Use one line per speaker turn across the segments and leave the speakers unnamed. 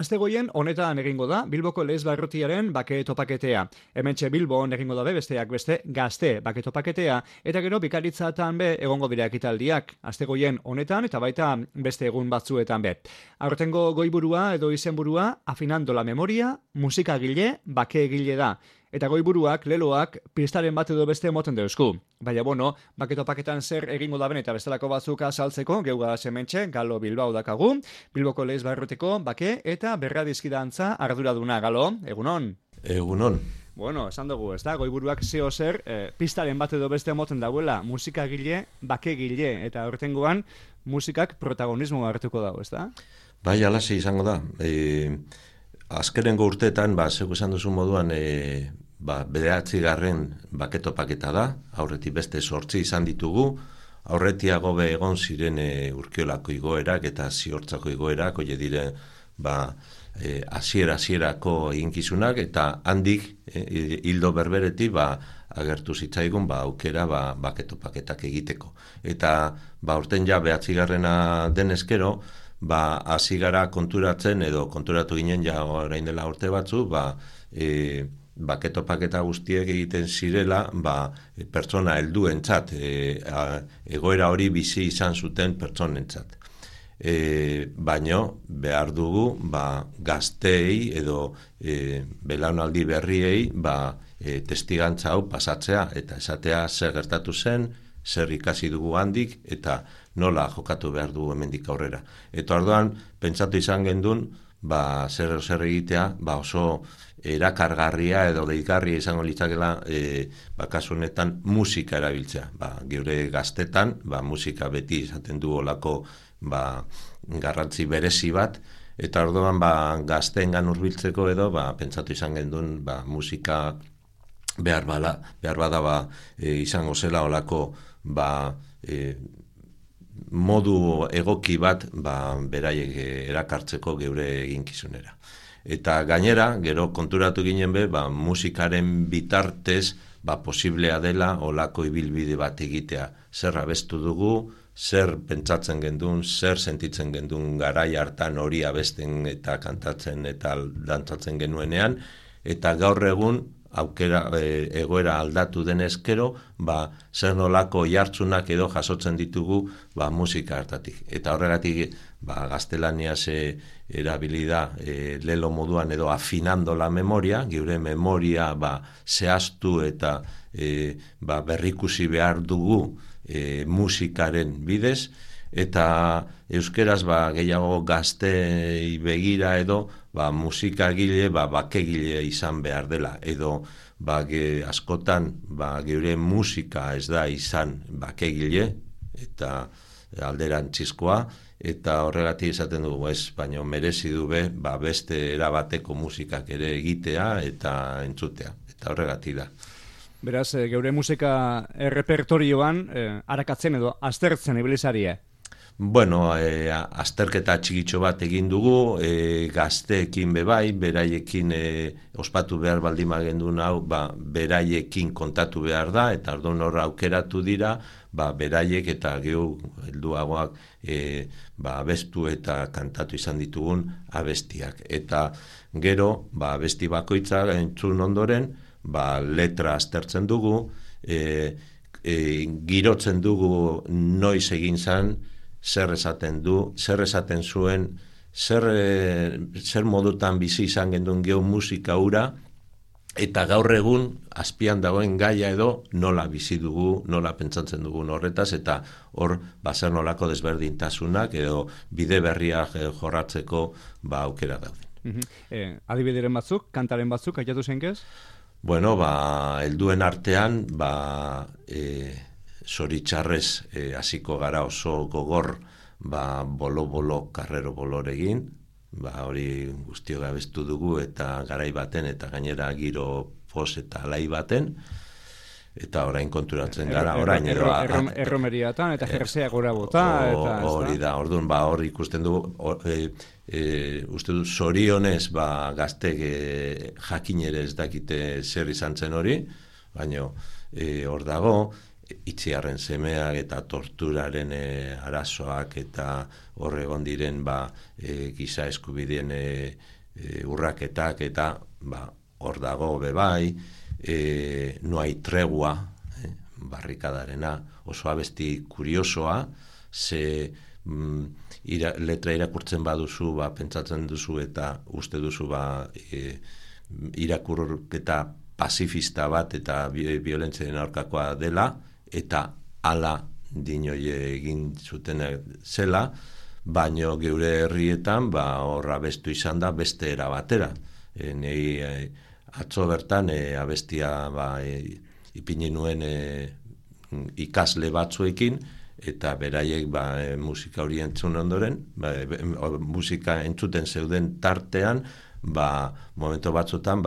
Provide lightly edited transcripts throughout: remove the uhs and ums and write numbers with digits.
Astegoien honetan egingo da Bilboko Lez Barrutiaren bake topaketea. Hementxe Bilbon egingo dabe besteak beste Gazte bake topaketea eta gero Bikaritzatan be egongo dira ekitaldiak. Astegoien honetan eta baita beste egun batzuetan be. Aurtengo goiburua edo izenburua Afinando la Memoria, musikagile, bakeegile da. Eta goiburuak, leloak, pistaren bat edo beste moten deusku. Baina, bake topaketan zer egingo daben eta bestelako batzuk azaltzeko, geuga sementxe, Galo Bilbao dakagu, Bilboko Lez Barrutiko bake eta berradizkidantza arduraduna. Galo, egunon?
Egunon.
Esan dugu, ez da, goiburuak zeo zer, pistaren bat edo beste moten dauela, musikagile, bakegile, eta hortengoan musikak protagonismo hartuko dago, ez da?
Bai, alaxe izango da. Azkenengo urteetan, zeu esan duzu moduan, bederatzigarren baketopaketa da, aurretik beste 8 izan ditugu, aurretiago be egon ziren urkiolako igoerak eta ziortzako igoerak, oie diren, hasierako eginkizunak, eta handik, hildo berberetik, agertu zitzaigun, aukera baketopaketak egiteko. Eta, urten ja, behatzigarrena denezkero, hasi gara konturatzen, edo konturatu ginen ja orain dela urte batzu, baketopaketa guztiek egiten zirela, pertsona helduentzat, egoera hori bizi izan zuten pertsonentzat. Baino, behar dugu, gazteei edo belaunaldi berriei, testigantza hau pasatzea, eta esatea zer gertatu zen, zer ikasi dugu handik, eta nola jokatu behar dugu hemendik aurrera. Eta orduan, pentsatu izan gendun, zer egitea, oso erakargarria edo deigarria izango litzakela, kasu honetan musika erabiltzea. Geure gaztetan, musika beti izaten du olako garrantzi berezi bat, eta orduan gazteengan hurbiltzeko edo, pentsatu izan gendun, musika behar bada izango zela olako modu egoki bat beraiek erakartzeko geure eginkizunera. Eta gainera, gero konturatu ginen musikaren bitartez posiblea dela olako ibilbide bat egitea. Zer abestu dugu, zer pentsatzen gendun, zer sentitzen gendun garai hartan hori abesten eta kantatzen eta dantzatzen genuenean, eta gaur egun aukera egoera aldatu denezkero, zer nolako jartzunak edo jasotzen ditugu musika hartatik. Eta horregatik gaztelaniaz erabilida lelo moduan edo afinando la memoria, geure memoria zehaztu eta berrikusi behar dugu musikaren bidez, eta euskeraz gehiago gaztei begira edo musikagile, bakegile izan behar dela, edo askotan geure musika ez da izan bakegile, eta alderantzizkoa, eta horregatik esaten dugu baina merezi du beste erabateko musikak ere egitea eta entzutea, eta horregatik da.
Beraz, geure musika repertorioan arakatzen edo aztertzen ibilizarie?
Azterketa txikitxo bat egin dugu, gazteekin bebai, beraiekin ospatu behar baldima gendun hau, beraiekin kontatu behar da, eta orduan horra aukeratu dira, beraiek eta gehu helduagoak abestu eta kantatu izan ditugun abestiak. Eta gero, abesti bakoitza entzun ondoren, letra aztertzen dugu, girotzen dugu noiz egin zan, zer esaten du, zer esaten zuen, zer modutan bizi izan gendun gehu musika hura, eta gaur egun azpian dagoen gaia edo nola bizi dugu, nola pentsatzen dugun horretaz, eta hor zer nolako desberdintasunak edo bide berriak jorratzeko aukera dauden.
Adibideren batzuk, kantaren batzuk, aiatu zenkez?
Helduen artean, zoritxarrez hasiko gara oso gogor bolo-bolo, karrero boloregin, hori guztio gabestu dugu eta garai baten eta gainera giro pos eta alai baten, eta orain konturatzen gara, orain edo...
Erromeriatan eta jersea gora bota, eta...
Hori da, orduan, hor ikusten du, uste du, zorionez, gaztek jakin ere ez dakite zer izan zen hori, baina hor dago, itziarren semeak eta torturaren arazoak eta hor egon diren giza eskubideen urraketak eta hor dago bebai, no hay tregua, barrikadarena, oso abesti kuriosoa, ze letra irakurtzen baduzu, pentsatzen duzu eta uste duzu irakurketa pazifista bat eta violentzien aurkakoa dela, eta ala dinoie egin zuten zela, baino geure herrietan horra abestu izan da beste era batera. Nei atzo bertan abestia ipini nuen ikasle batzuekin, eta beraiek musika hori entzun ondoren, musika entzuten zeuden tartean, momento batzutan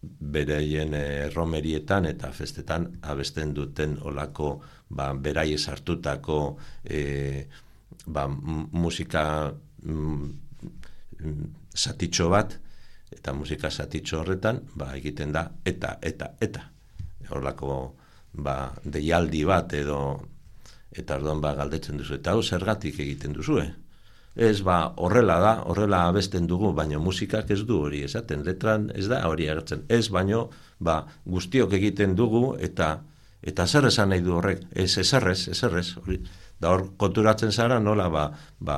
beraien romerietan eta festetan abesten duten olako beraiek sartutako musika zatitxo bat, eta musika zatitxo horretan egiten da eta olako deialdi bat edo, eta orduan galdetzen duzu, eta hau zergatik egiten duzu, Ez, horrela da, horrela abesten dugu, baina musikak ez du hori esaten, letran ez da hori agertzen. Ez, baino, guztiok egiten dugu, eta zer esan nahi du horrek, eserrez, hori. Da hor, konturatzen zara, nola,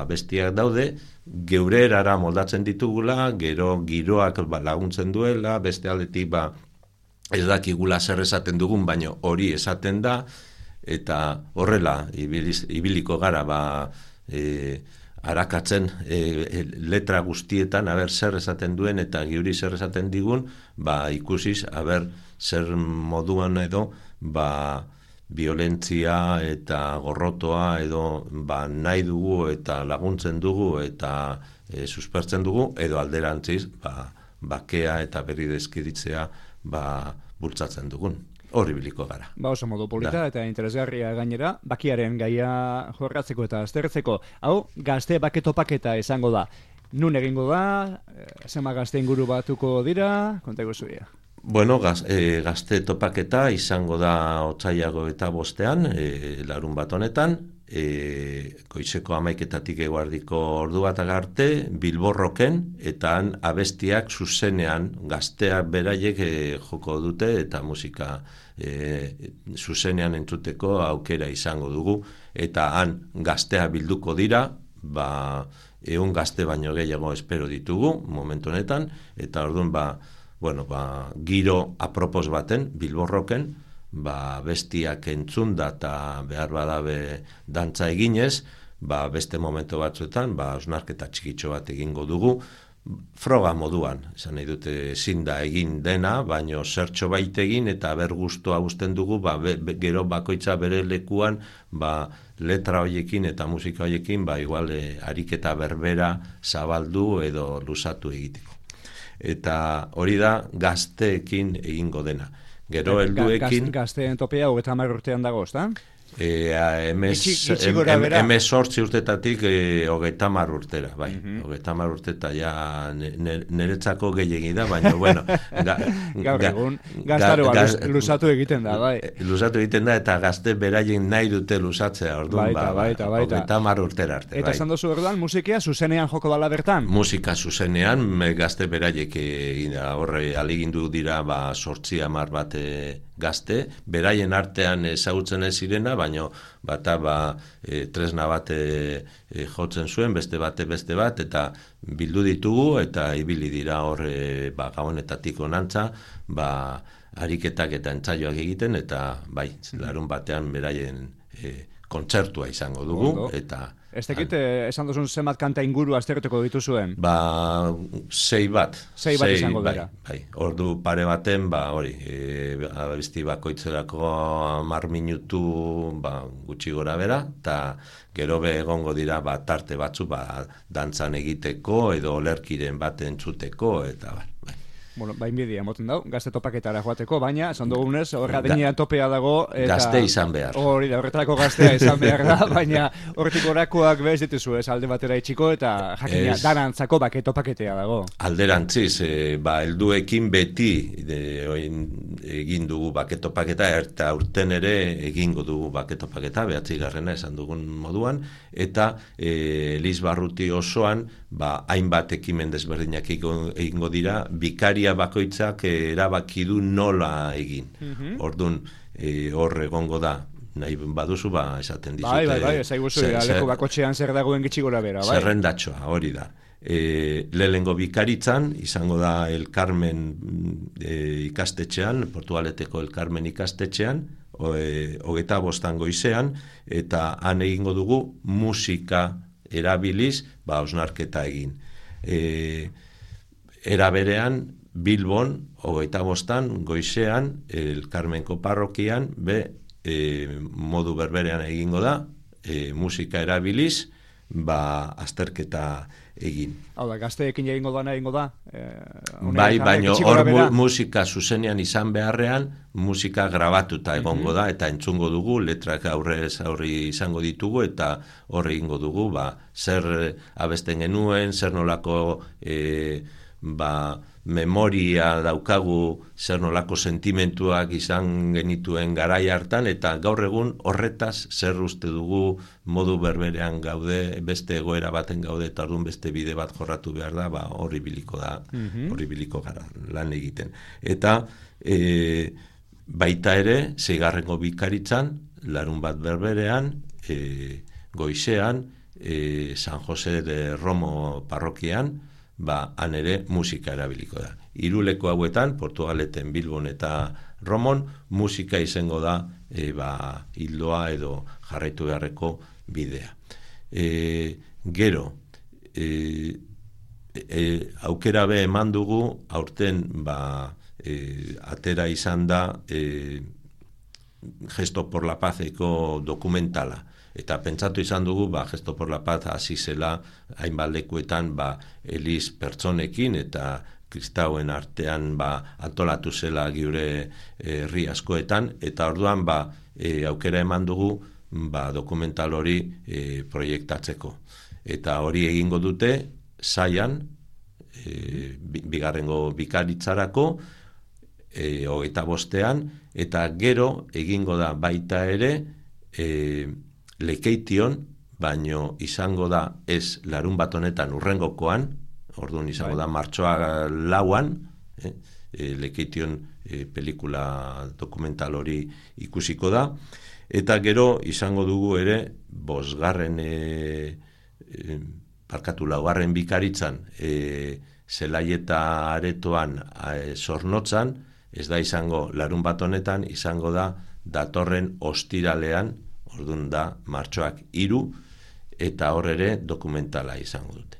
bestiak daude, geure erara moldatzen ditugula, gero giroak laguntzen duela, beste aldetik, ez dakigula zer esaten dugun, baina hori esaten da, eta horrela, ibiliko gara, arakatzen letra guztietan, zer esaten duen eta giuri zer esaten digun, ikusiz, zer moduan edo, violentzia eta gorrotoa edo nahi dugu eta laguntzen dugu eta suspertzen dugu, edo alderantziz, bakea eta berri deskiritzea bultzatzen dugun. Hori biliko gara.
Oso modu polita eta interesgarria gainera, bakiaren gaia jorratzeko eta aztertzeko. Hau, gazte baketopaketa izango da. Nun egingo da, zema gazte inguru batuko dira, kontako zuia.
Bueno, gazte topaketa izango da otsaiago eta 5, larun bat honetan, goizeko 11:00 eguerdiko ordu bat arte, Bilborroken, eta han abestiak zuzenean gazteak beraiek joko dute, eta musika zuzenean entzuteko aukera izango dugu, eta han gaztea bilduko dira, 100 gazte baino gehiago espero ditugu momentu honetan, eta orduan giro apropos baten, Bilborroken, bestiak entzunda eta behar badabe dantza eginez, beste momento batzuetan, osnarketa txikitxo bat egingo dugu, froga moduan, esan nahi dute ezin da egin dena, baino zertxo bait egin eta gustoa usten dugu, gero bakoitza bere lekuan, letra hoiekin eta musika hoiekin, igual ariketa berbera zabaldu edo luzatu egiteko. Eta hori da gazteekin egingo dena. Gero helduekin...
Gazteen topea 30 urtean dago, ezta?
Sortzi urtetatik 30 urtera, bai. 30 urteta ja niretzako gehiegi da, baina, bueno...
Gaur egun, gaztaro luzatu egiten da, bai.
Luzatu egiten da, eta gazte beraien nahi dute luzatzea, orduan,
baita.
30 urtera arte, bai.
Eta esan duzu orduan, musikia zuzenean joko dala bertan?
Musika zuzenean, gazte beraiek horre aligindu dira 8-10 bat gazte, beraien artean ezagutzen ez zirena, baino tresna bat jotzen zuen, beste bat, eta bildu ditugu, eta ibili dira hor gabonetatik onantza, ariketak eta entzaioak egiten, eta larun batean beraien kontzertua izango dugu, eta...
Ez tekit, esan duzun zenbat kanta inguru aztertuko dituzuen?
6 bat.
6 bat izango dira.
Ordu pare baten, hori, abesti bakoitzerako 10 minutu gutxi gora bera, eta gero egongo dira tarte batzu dantzan egiteko, edo olerkiren bat entzuteko, eta bai.
Bueno, bain bidia emoten dau, gazte topaketara joateko, baina, esan dugunez, horra denean topea dago. Eta,
gazte izan behar.
Hori da, horretarako gaztea izan behar da, baina hortik orakoak bez dituzu ez alde batera itxiko, eta jakina danantzako topakatea dago.
Alderantziz, helduekin beti egin dugu baketopaketa, eta urten ere egingo dugu baketopaketa, 9. esan dugun moduan, eta Elizbarruti osoan, hainbat ekimen desberdinak egingo dira, bikaria bakoitzak erabaki du nola egin. Orduan, hor egongo da, nahi baduzu, esaten dizute.
Bai, ezaiguzu, leku bakotxean zer dagoen gitxi gora bera, bai?
Zerrendatxoa, hori da. Lehengo bikaritzan, izango da El Carmen ikastetxean, Portugaleteko El Carmen ikastetxean, 25 goizean, eta han egingo dugu musika erabiliz, osnarketa egin. Era berean, Bilbon, 25 goizean, El Carmenko parrokian, modu berberean egingo da, musika erabiliz, azterketa egin.
Hau da, gazteekin egingo da?
Baina hor musika zuzenean izan beharrean, musika grabatuta egongo da, eta entzungo dugu, letrak aurrez izango ditugu, eta hor egingo dugu, zer abesten genuen, zer nolako memoria daukagu, zer nolako sentimentuak izan genituen garai hartan, eta gaur egun horretaz zer uste dugu modu berberean gaude, beste egoera baten gaude, eta orduan beste bide bat jorratu behar da, horri biliko gara lan egiten. Eta baita ere, 6. bikaritzan, larun bat berberean, goizean, San Jose de Romo parrokian, han ere musika erabiliko da. 3 leku hauetan, Portugaleten, Bilbon eta Romon, musika izango da hildoa edo jarraitu beharreko bidea. Gero, aukera eman dugu, aurten atera izan da Gesto por la Pazeko dokumentala. Eta pentsatu izan dugu, Gesto por la Paz hasi zela hainbat lekuetan Eliz pertsonekin eta kristauen artean antolatu zela gure herri askoetan, eta orduan aukera eman dugu dokumental hori proiektatzeko. Eta hori egingo dute Zaian, 2. bikaritzarako, 25ean, eta gero egingo da baita ere Lekeition, baino izango da ez larun bat honetan urrengokoan, orduan izango da martxoa 4an, Lekeition pelikula dokumental hori ikusiko da, eta gero izango dugu ere 5. bikaritzan Zelaieta aretoan Zornotzan, ez da izango larun bat honetan, izango da datorren ostiralean, orduan da martxoak 3, eta hor ere dokumentala izango dute.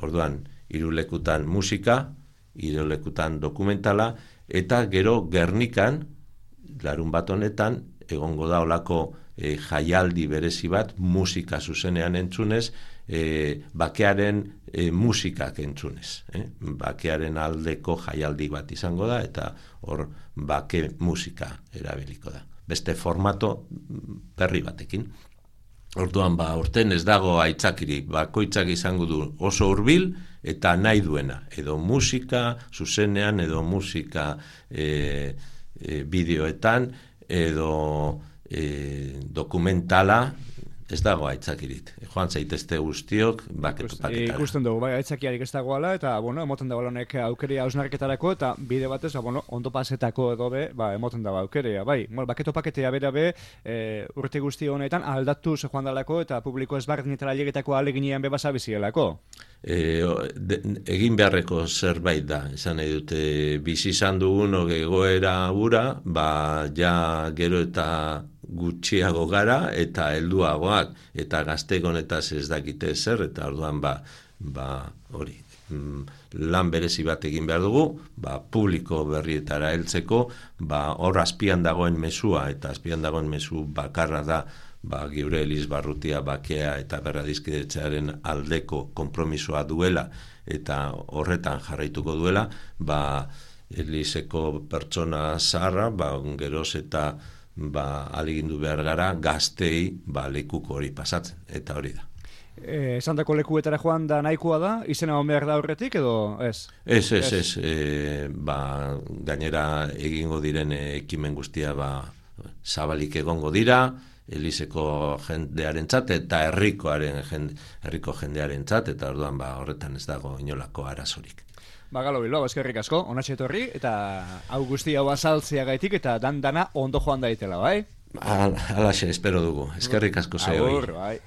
Orduan, 3 lekutan musika, 3 lekutan dokumentala, eta gero Gernikan, larun bat honetan, egongo da olako jaialdi berezi bat, musika zuzenean entzunez, bakearen musikak entzunez. Bakearen aldeko jaialdi bat izango da, eta hor bake musika erabiliko da. Beste formato berri batekin. Orduan, urten ez dago aitzakirik, bakoitzak izango du oso hurbil eta nahi duena, edo musika zuzenean, edo musika bideoetan, edo dokumentala, ez dago aitzakirik. Joan zaitezte guztiok baketopaketara.
Ikusten dugu, aitzakiarik ez dagoela, eta, emoten dago honek aukeria hausnarketarako, eta bide batez, ondo pasetako edo emoten dago aukeria, baketopaketea bera urte guzti honetan aldatu ze joan dalako, eta publiko ezberdinetara llegetako aleginean bebasa bizielako.
Egin beharreko zerbait da, esan nahi dute, bizi izan dugun egoera gura, ja gero eta gutxiago gara eta helduagoak, eta gaztegonetaz ez dakite zer, eta orduan hori lan berezi bat egin behar dugu, publiko berrietara heltzeko, hor azpian dagoen mesua, eta azpian dagoen mesu bakarra da geure Eliz Barrutia bakea eta berradizkidetzearen aldeko konpromisoa duela eta horretan jarraituko duela, Elizeko pertsona zaharra, geroz eta aligindu behar gara gaztei lekuko hori pasatzen, eta hori da.
Esandako lekuetara joan da nahikoa da, izena hon behar da horretik edo ez?
Ez. Gainera egingo diren ekimen guztia zabalik egongo dira, Elizeko jendearentzat eta herriko jendearentzat, eta orduan horretan ez dago inolako arazorik.
Galo Bilbao, eskerrik asko, onatxe etorri, eta hau guzti hau azaltzea gaitik, eta dana ondo joan daitela, bai?
Alaxe, espero dugu. Eskerrik asko zehoi.
Bai.